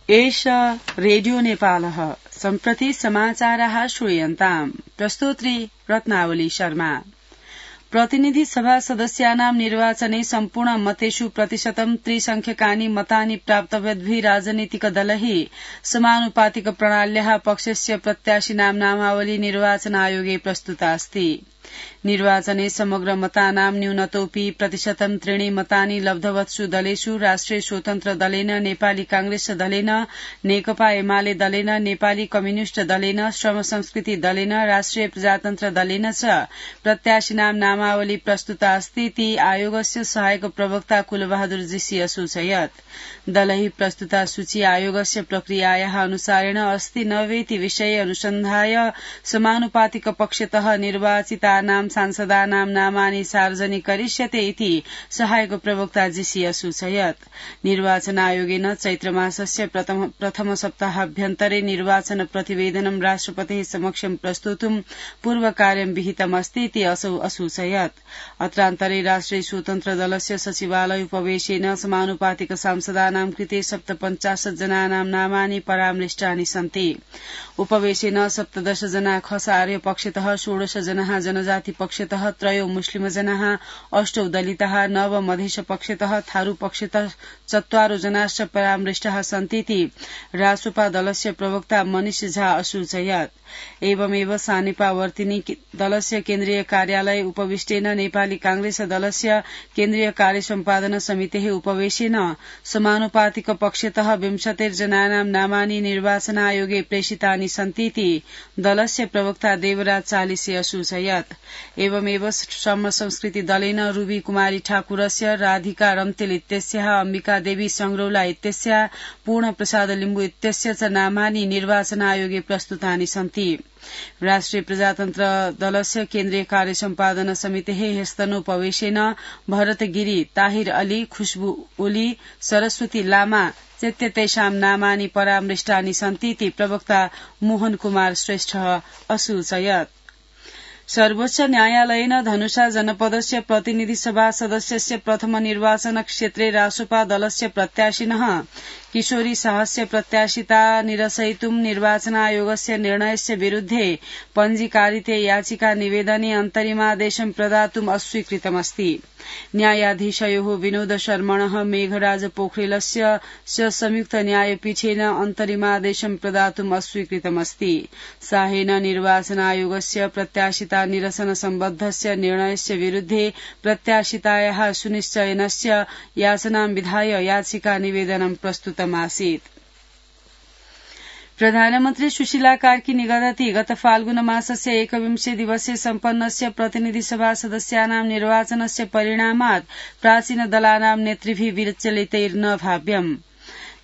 एष रेडियो नेपालः सम्प्रति समाचाराः श्रूयन्ताम्। प्रस्तोत्री रत्नावली शर्मा। प्रतिनिधि सभा सदस्यानां निर्वाचने सम्पूर्ण मतेषु प्रतिशतं त्रिसंख्यकानि मतानि प्राप्तव्यद्भिः राजनीतिकदलैः समानुपातिक प्रणाल्याः पक्षस्य प्रत्याशिनां नामावली निर्वाचन आयोगे प्रस्तुता अस्ति। निर्वाचने समग्र मतानां न्यूनतोऽपि प्रतिशतं त्रीणि मतानि लब्धवत्सु दलेषु राष्ट्रिय स्वतन्त्र दलेन, नेपाली कांग्रेस दलेन, नेकपा एमाले दलेन, नेपाली कम्युनिष्ट दलेन, श्रम संस्कृति दलेन, राष्ट्रिय प्रजातन्त्र दलेन च प्रत्याशिनां नामावली प्रस्तुता अस्ति। ती आयोगस्य सहायक प्रवक्ता कुलबहादुर जीसी असूचयत्। दलैः प्रस्तुता सूची आयोगस्य प्रक्रियायाः अनुसारेण अस्ति न वेति विषये अनुसन्धाय समानुपातिक पक्षतः निर्वाचितानां सांसदानां नामानि सार्वजनिक करिष्यते इति सहायक प्रवक्ता जीसी असूचयत्। निर्वाचन आयोगेन चैत्रमासस्य प्रथम सप्ताहाभ्यन्तरे निर्वाचन प्रतिवेदनं राष्ट्रपतेः समक्षं प्रस्तोतुं पूर्वकार्यं विहितमस्ति इति असौ असूचयत्। अत्रान्तरे राष्ट्रिय स्वतन्त्र दलस्य सचिवालय उपवेशेन समानुपातिक सांसदानां कृते 57 जनानां नामानि परामृष्टानि सन्ति। उपवेशेन 17 जना खसार्य पक्षतः, 16 जना जनजाति पक्षतः, 3 मुस्लिम जनाः, 8 दलिताः, 9 मधेश पक्षतः, थारू पक्षतः 4 जनाश्च परामृष्टाः सन्तीति रासोपा दलस्य प्रवक्ता मनिष झा असूचयत्। एवमेव सानेपावर्तिनी दलस्य केन्द्रीय कार्यालय उपविष्टेन नेपाली कांग्रेस दलस्य केन्द्रीय कार्य सम्पादन समितेः उपवेशेन समानुपातिक पक्षतः 20 जनानां नामानि निर्वाचन आयोगे प्रेषितानि सन्तीति दलस्य प्रवक्ता देवराज चालिसे असूचयत्। एवमेव श्रम संस्कृति दलेन रूबी कुमारी ठाकुरस्य, राधिका रम्तेल इत्यस्याः, अम्बिका देवी संग्रौला इत्यस्याः, पूर्ण प्रसाद लिम्बु इत्यस्य च नामानि निर्वाचन आयोगे प्रस्तुतानि सन्ति। राष्ट्रिय प्रजातन्त्र दलस्य केन्द्रीय कार्य सम्पादन समितेः ह्यस्तनोपवेशेन भरत गिरी, ताहिर अली, खुशबु ओली, सरस्वती लामा चेत्यतेषां नामानि परामृष्टानि सन्तीति प्रवक्ता मोहन कुमार श्रेष्ठ असूचयत्। सर्वोच्च न्यायालयेन धनुषा जनपदस्य प्रतिनिधि सभा सदस्यस्य प्रथम निर्वाचन क्षेत्रे रासोपा दलस्य प्रत्याशिनः किशोरी शाहस्य प्रत्याशिता निरसयितुं निर्वाचन आयोगस्य निर्णयस्य विरुद्धे पञ्जीकारिते याचिका निवेदने अन्तरिमादेशं प्रदातुम् अस्वीकृतमस्ति। न्यायाधीशयोः विनोद शर्मणः, मेघराज पोखरेलस्य च संयुक्त न्यायपीठेन अन्तरिमादेशं प्रदातुम् अस्वीकृतमस्ति। साहेन निर्वाचन आयोगस्य प्रत्याशिता निरसन सम्बद्धस्य निर्णयस्य विरुद्धे प्रत्याशितायाः सुनिश्चयनस्य याचनां विधाय याचिका निवेदनं प्रस्तुतम् आसीत्। प्रधानमन्त्री सुशीला कार्की निगदति गत फाल्गुन मासस्य 21 दिवसे सम्पन्नस्य प्रतिनिधि सभा सदस्यानां निर्वाचनस्य परिणामात् प्राचीन दलानां नेतृभिः विचलितैर्न भाव्यम्।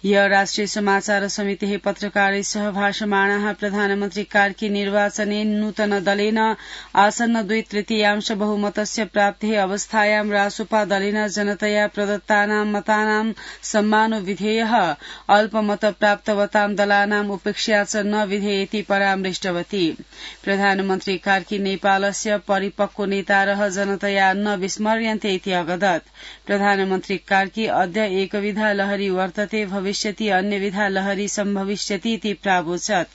ह्य राष्ट्रिय समाचार समितेः पत्रकारैः सह भाषमाणाः प्रधानमन्त्री कार्की निर्वाचने नूतन दलेन आसन्न 2/3 बहुमतस्य प्राप्तेः अवस्थायां रासोपा दलेन जनतया प्रदत्तानां मतानां सम्मानो विधेयः, अल्पमत प्राप्तवतां दलानाम् उपेक्षा च न विधेयेति परामृष्टवती। प्रधानमन्त्री कार्की नेपालस्य परिपक्व नेतारः जनतया न विस्मर्यन्ते इति अवदत्। प्रधानमन्त्री कार्की अद्य एकविधा लहरी वर्तते, भविष्यति अन्यविधा लहरी सम्भविष्यति इति प्रावोचत्।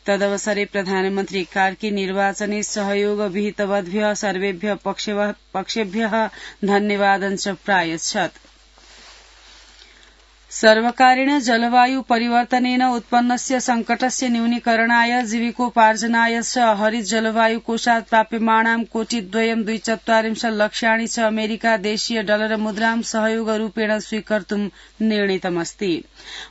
तदवसरे प्रधानमन्त्री कार्की निर्वाचने सहयोग विहितवद्भ्यः सर्वेभ्यः पक्षेभ्यः धन्यवादं च प्रायच्छत्। सर्वकारेण जलवायु परिवर्तनेन उत्पन्नस्य संकटस्य न्यूनीकरणाय जीविकोपार्जनाय च हरित जलवायु कोषात् प्राप्यमाणां 2.24 लक्ष्याणि च अमेरिका देशीय डलर मुद्रां सहयोगरूपेण स्वीकर्तुं निर्णीतमस्ति।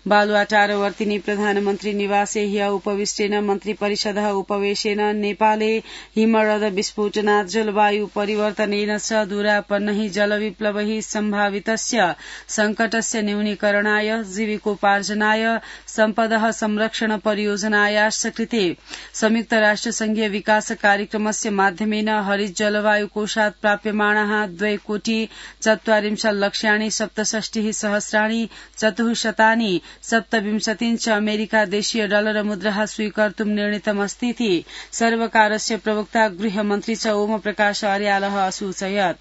बालुवाटारवर्तिनी प्रधानमन्त्री निवासे ह्य उपविष्टेन मन्त्रिपरिषदः उपवेशेन नेपाले हिमरद विस्फोटनात् जलवायु परिवर्तनेन च दूरापन्नैः जलविप्लवैः सम्भावितस्य संकटस्य न्यूनीकरणाय जीविकोपार्जनाय सम्पदः संरक्षण परियोजनायाश्च कृते संयुक्त राष्ट्र संघीय विकास कार्यक्रमस्य माध्यमेन हरित जलवायु कोषात् प्राप्यमाणाः 2.24 लक्ष्याणि 67,427 च अमेरिका देशीय डलर मुद्राः स्वीकर्तुं निर्णीतमस्तीति सर्वकारस्य प्रवक्ता गृहमन्त्री च ओम प्रकाश अर्यालः असूचयत्।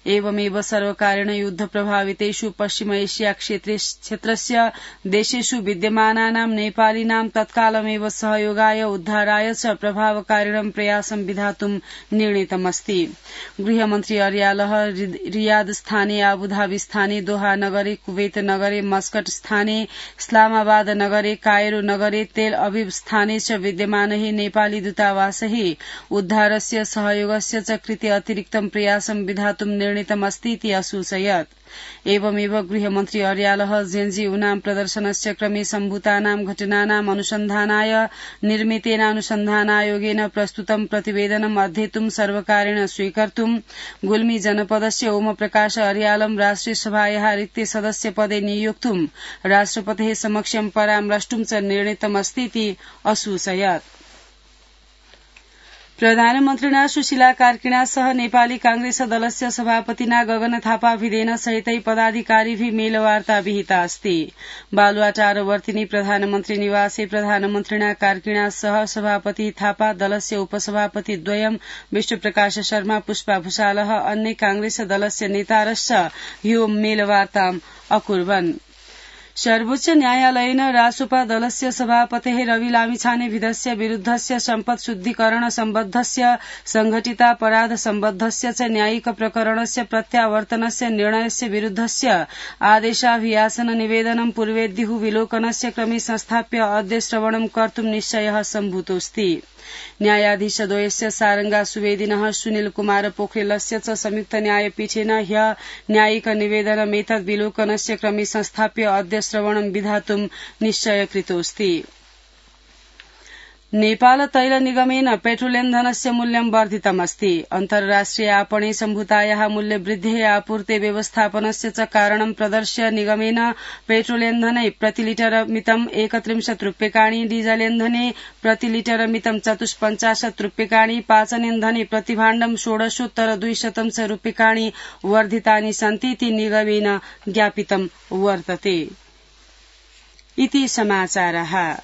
एवमेव सर्वकारेण युद्ध प्रभावितेषु पश्चिम एशिया क्षेत्रस्य देशेषु विद्यमानानां नेपालिनां तत्कालमेव सहयोगाय उद्धाराय च प्रभावकारिणं प्रयासं विधातुं निर्णीतमस्ति। गृहमन्त्री अर्यालः रियाद स्थाने, आबुधाबी स्थाने, दोहा नगरे, कुवैत नगरे, मस्कट स्थाने, इस्लामाबाद नगरे, कायरो नगरे, तेल अविव स्थाने च विद्यमानैः नेपाली दूतावासैः उद्धारस्य सहयोगस्य च कृते अतिरिक्तं प्रयासं विधातुं निर्णीतमस्ति इति असूचयत्। एवमेव गृहमन्त्री अर्यालः जेएनयू प्रदर्शनस्य क्रमे सम्भूतानां घटनानाम् अनुसन्धानाय निर्मितेनानुसन्धानायोगेन प्रस्तुतं प्रतिवेदनम् अध्येतुं सर्वकारेण स्वीकर्तुं गुल्मी जनपदस्य ओमप्रकाश अर्यालं राष्ट्रियसभायाः रिक्ते सदस्यपदे नियोक्तुं राष्ट्रपतेः समक्षं परामर्ष्टुं च निर्णीतमस्ति इति असूचयत्। प्रधानमन्त्रिणा सुशीला कार्किणा सह नेपाली कांग्रेस दलस्य सभापतिना गगन थापा भिदेन सहितै पदाधिकारिभिः मेलवार्ता विहिता अस्ति। बालुवाटारवर्तिनी प्रधानमन्त्री निवासे प्रधानमन्त्रिणा कार्किणा सह सभापति थापा, दलस्य उपसभापति द्वयं विष्णुप्रकाश शर्मा, पुष्पा भूषालः, अन्य कांग्रेस दलस्य नेतारश्च ह्यो मेलवार्ताम् अकुर्वन्। सर्वोच्च न्यायालयेन रासोपा दलस्य सभापतेः रवि लामिछानेविधस्य विरुद्धस्य सम्पत् शुद्धिकरण सम्बद्धस्य संघटितापराध सम्बद्धस्य च न्यायिक प्रकरणस्य प्रत्यावर्तनस्य निर्णयस्य विरुद्धस्य आदेशाभियाचन निवेदनं पूर्वेद्युः विलोकनस्य क्रमे संस्थाप्य अद्य श्रवणं कर्तुं निश्चयः सम्भूतोऽस्ति। न्यायाधीशद्वयस्य सारंगा सुवेदिनः सुनील कुमार पोखरेलस्य च संयुक्त न्यायपीठेन ह्यः न्यायिक निवेदनमेतद् विलोकनस्य क्रमे संस्थाप्य अद्य श्रवणं विधातुं निश्चयकृतोऽस्ति। नेपाल तैल निगमेन पेट्रोलियमधनस्य मूल्यं वर्धितमस्ति। अन्तर्राष्ट्रिय आपणे सम्भूतायाः मूल्यवृद्धेः आपूर्ते व्यवस्थापनस्य च कारणं प्रदर्श्य निगमेन पेट्रोलियमधने प्रतिलिटरमितं 31 रूप्यकाणि, डीजलेन्धने प्रतिलिटरमितं 54 रूप्यकाणि, पाचनेन्धने प्रतिभाण्डं 16,200 च रूप्यकाणि वर्धितानि सन्ति इति निगमेन ज्ञापितं वर्तते। इति समाचारः।